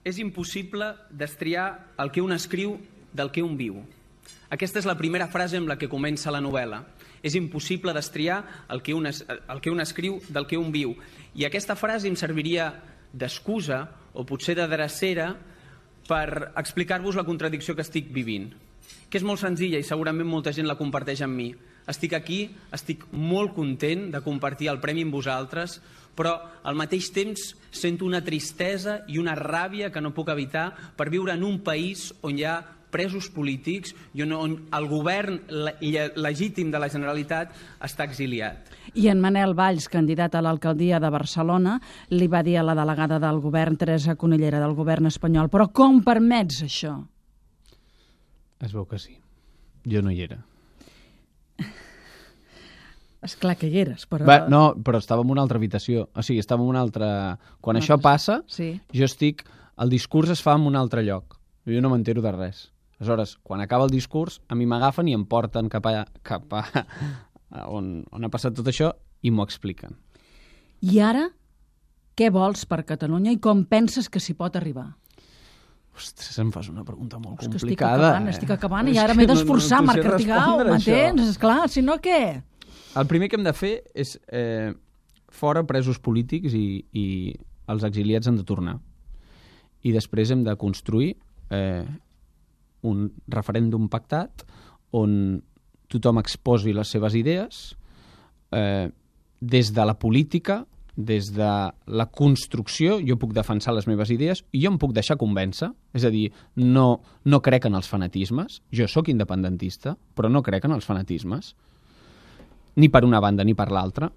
és impossible destriar el que un escriu del que un viu. Aquesta és la primera frase amb la que comença la novel·la. És impossible destriar el que un escriu del que un viu. I aquesta frase em serviria d'excusa o potser de drecera per explicar-vos la contradicció que estic vivint, que és molt senzilla i segurament molta gent la comparteix amb mi. Estic aquí, estic molt content de compartir el premi amb vosaltres, però al mateix temps sento una tristesa i una ràbia que no puc evitar per viure en un país on hi ha presos polítics i on el govern legítim de la Generalitat està exiliat. I en Manel Valls, candidat a l'alcaldia de Barcelona, li va dir a la delegada del govern, Teresa Conillera, del govern espanyol, però com permets això? Es veu que sí. Jo no hi era. Esclar que hi eres, però... No, però estava en una altra habitació. O sigui, estava en una altra... Quan això passa, jo estic... El discurs es fa en un altre lloc. Jo no m'entero de res. Aleshores, quan acaba el discurs, a mi m'agafen i em porten cap a on ha passat tot això i m'ho expliquen. I ara, què vols per Catalunya i com penses que s'hi pot arribar? Ostres, em fas una pregunta molt complicada. Estic acabant i ara m'he d'esforçar, Marc Artigau, m'entens? Esclar, si no, què? El primer que hem de fer és fora presos polítics i els exiliats han de tornar. I després hem de construir un referèndum pactat on tothom exposi les seves idees des de la política, des de la construcció. Jo puc defensar les meves idees i jo em puc deixar convèncer. És a dir, no crec en els fanatismes. Jo sóc independentista, però no crec en els fanatismes. Ni per una banda ni per l'altra.